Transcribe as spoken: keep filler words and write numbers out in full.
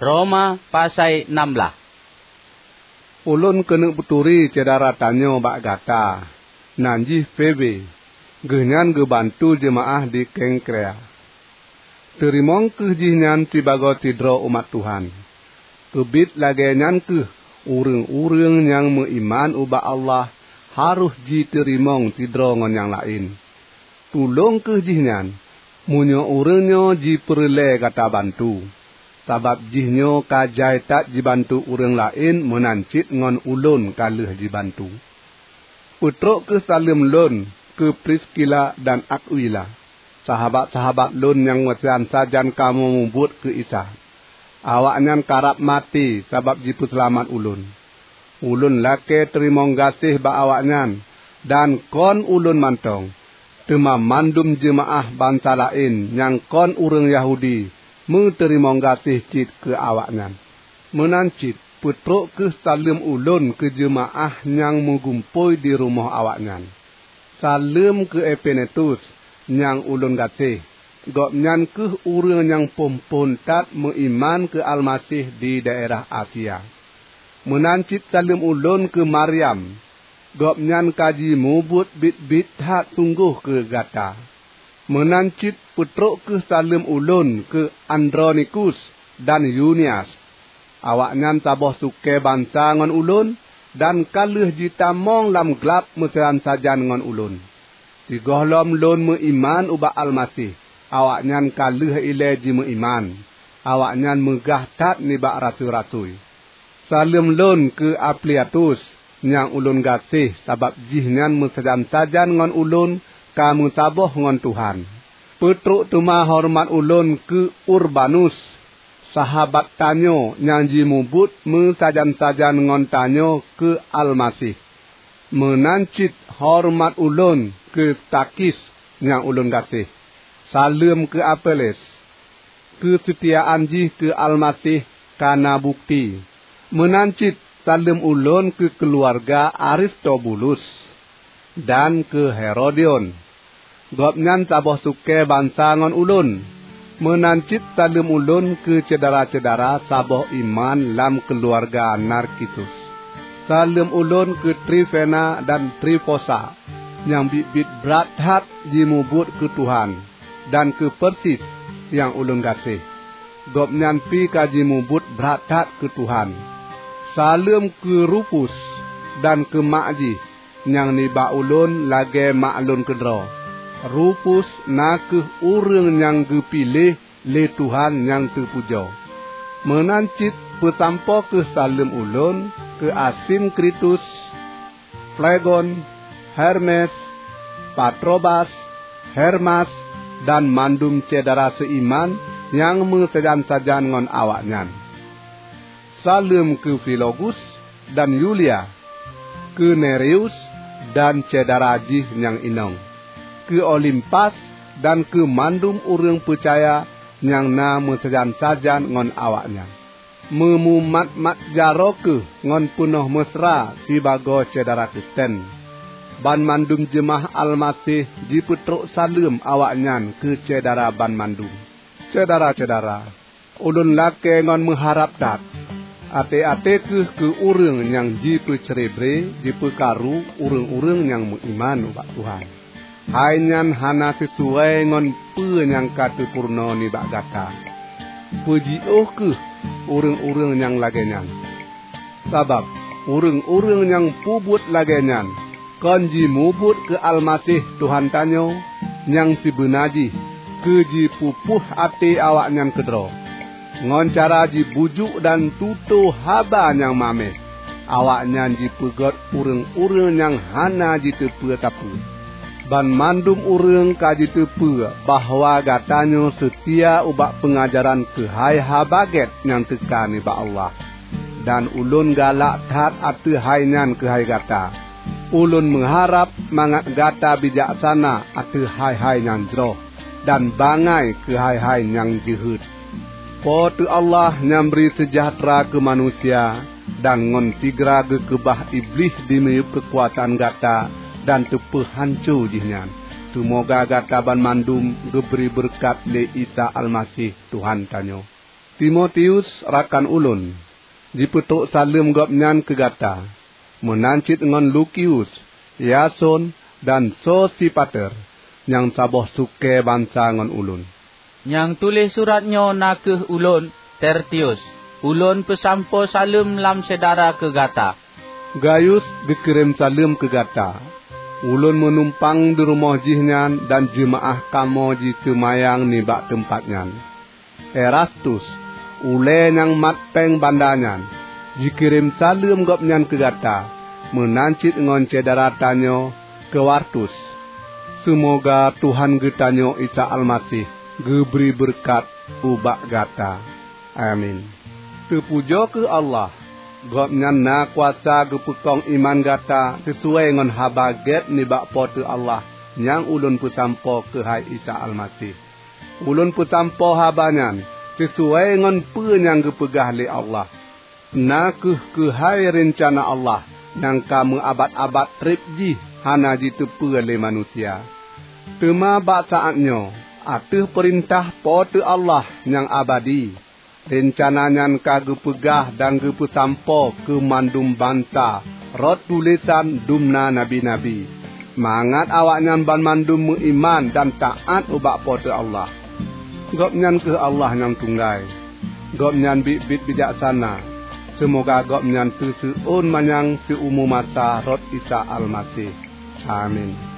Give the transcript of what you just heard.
Roma pasai nam blaih. Ulôn keuneuk peuturi syedara tanyoe bak gata, nan jih Febe. Geuhnyan geubantu jeumaáh di Kengkrea. Teurimong kheueh jihnyan sibagoe sidroe umat Tuhan. Keubiet lagée nyan kheueh ureuëng-ureuëng nyang meuiman ubak Allah harôh jiteurimong sidroe ngon nyang laén. Tulông kheueh jihnyan, meunyoe ureuëng nyoe jipeureulée gata bantu, sabab jihnyoe ka jai that jibantu ureuëng laén meunan cit ngon ulôn ka lheueh jibantu. Peutrok kheueh saleuem lôn keu Priskila dan Akwila, sahabat-sahabat lôn nyang meusajan-sajan kamoe mubuet keu Isa. Awaknyan karab maté sabab jipeuseulamat ulôn. Ulôn lakée teurimong gaséh bak awaknyan, dan kon ulôn mantong, teuma mandum jeumaáh bansa laén nyang kon ureuëng Yahudi meuteurimong gaséh cit keu awaknyan. Meunan cit peutrok kheueh saleuem ulôn keu jeumaáh nyang meugumpôi di rumoh awaknyan. Saleuem keu Epenetus nyang ulôn gaséh. Gobnyan kheueh ureuëng nyang phon-phon that meuiman keu Almaseh di daerah Asia. Meunan cit saleuem ulôn keu Maryam. Gobnyan ka jimubuet biet-biet that sunggoh keu gata. Meunan cit peutrok kheueh saleuem ulôn keu Andronikus dan Yunias. Awaknyan saboh sukée bansa ngon ulôn, dan ka lheueh jitamong lam glab meusajan-sajan ngon ulôn. Sigohlom lôn meuiman ubak Almaseh, awaknyan ka lheueh ilée jimeuiman. Awaknyan meugah that nibak rasui-rasui. Saleuem lôn keu Ampliatus nyang ulôn gaséh, sabab jihnyan meusajan-sajan ngon ulôn ka meusaboh ngon Tuhan. Peutrok teuma horeumat ulôn keu Urbanus, sahabat tanyoe nyang jimubuet meusajan-sajan ngon tanyoe keu Almaseh. Meunan cit horeumat ulôn keu Stakis nyang ulôn gaséh. Saleuem keu Apeles. Keuseutiaan jih keu Almaseh ka na bukeuti. Meunan cit saleuem ulôn keu keuluwarga Aristobulus dan keu Herodion. Gobnyan saboh sukée bansa ngon ulôn. Meunan cit saleuem ulôn keu syedara-syedara saboh iman lam keuluwarga Narkisus. Saleuem ulôn keu Trifena dan Trifosa, nyang biet-biet brat that jimubuet keu Tuhan, dan keu Persis nyang ulôn gaséh. Gobnyan pi ka jimubuet brat that keu Tuhan. Saleuem keu Rufus dan keu mak jih, nyang nibak ulôn lagée mak lôn keudroe. Rufus na kheueh ureuëng nyang geupiléh lé Tuhan nyang teupujoe. Meunan cit peusampoe kheueh saleuem ulôn keu Asinkritus, Flegon, Hermes, Patrobas, Hermas, dan mandum syedara seuiman nyang meusajan-sajan ngon awaknyan. Saleuem keu Filogus dan Yulia, keu Nereus dan syedara jih nyang inong, keu Olimpas dan keu mandum ureuëng peucaya nyang na meusajan-sajan ngon awaknyan. Meumumat-mat jaroe kheueh ngon peunoh meusra sibagoe syedara Kristen. Banmandum jeumaáh Almaseh jipeutrok saleuem awaknyan keu syedara banmandum. Syedara-syedara, ulôn lakée ngon meuharab that, até-até kheueh keu ureuëng nyang jipeucrebre jipeukaru ureuëng-ureuëng nyang meuiman ubak Tuhan. Hai nyan hana sisuai ngon peue nyang ka teupurunoe nibak gata. Peujiôh kheueh ureuëng-ureuëng nyang lagée nyan. Sabab ureuëng-ureuëng nyang peubuet lagée nyan kon jimubuet keu Almaseh Tuhan tanyoe nyang sibeuna jih keu jipeupuih até awaknyan keudroe. Ngon cara jibujuk dan tutoe haba nyang mameh, awaknyan jipeugét ureuëng-ureuëng nyang hana jiteupeue sapeue. Banmandum ureuëng ka jiteupeue bahwa gatanyoe seutia ubak peungajaran keuhai Haba Gét nyang teuka nibak Allah. Dan ulôn galak that ateueh hai nyan keuhai gata. Ulôn meuharab mangat gata bijaksana ateueh hai-hai nyang jroh, dan bangai keu hai-hai nyang jeuhet. Po teu Allah nyang bri seujahteura keu manusia dan ngon sigra geukeubah Iblih di miyueb keukuasaan gata dan teupeuhanco jihnyan. Teumoga gata banmandum geubri beureukat lé Isa Almaseh, Tuhan tanyoe. Timotius rakan ulôn, jipeutrok saleuem gobnyan keu gata, meunan cit ngon Lukius, Yason, dan Sosipater, nyang saboh sukée bansa ngon ulôn. Nyang tuléh surat nyoe na kheueh ulôn, Tertius. Ulôn peusampoe saleuem lam syedara keu gata. Gayus geukirém saleuem keu gata. Ulôn meunumpang di rumoh jih nyan dan jeumaáh kamoe jiseumayang nibak teumpat nyan. Erastus, ulée nyang mat péng banda nyan, jikirém saleuem gobnyan keu gata, meunan cit ngon syedara tanyoe Kwartus. Seumoga Tuhan geutanyoe Isa Almaseh geubri beureukat ubak gata. Amin. Teupujoe kheueh Allah! Gobnyan na kuasa geupeukong iman gata sisuai ngon Haba Gét nibak Po teu Allah nyang ulôn peusampoe keuhai Isa Almaseh. Ulôn peusampoe haba nyan sisuai ngon peue nyang geupeugah lé Allah, na kheueh keuhai reuncana Allah nyang ka meuabat-abat treb jih hana jiteupeue lé manusia. Teuma bak saát nyoe, ateueh peurintah Po teu Allah nyang abadi, reuncana nyan ka geupeugah dan geupeusampoe keu mandum bansa rot tulésan dumna nabi-nabi, mangat awaknyan banmandum meuiman dan taát ubak Po teu Allah. Gobnyan kheueh Allah nyang tunggai. Gobnyan biet-biet bijaksana. Seumoga Gobnyan teuseuôn manyang siumu masa rot Isa Almaseh. Amin.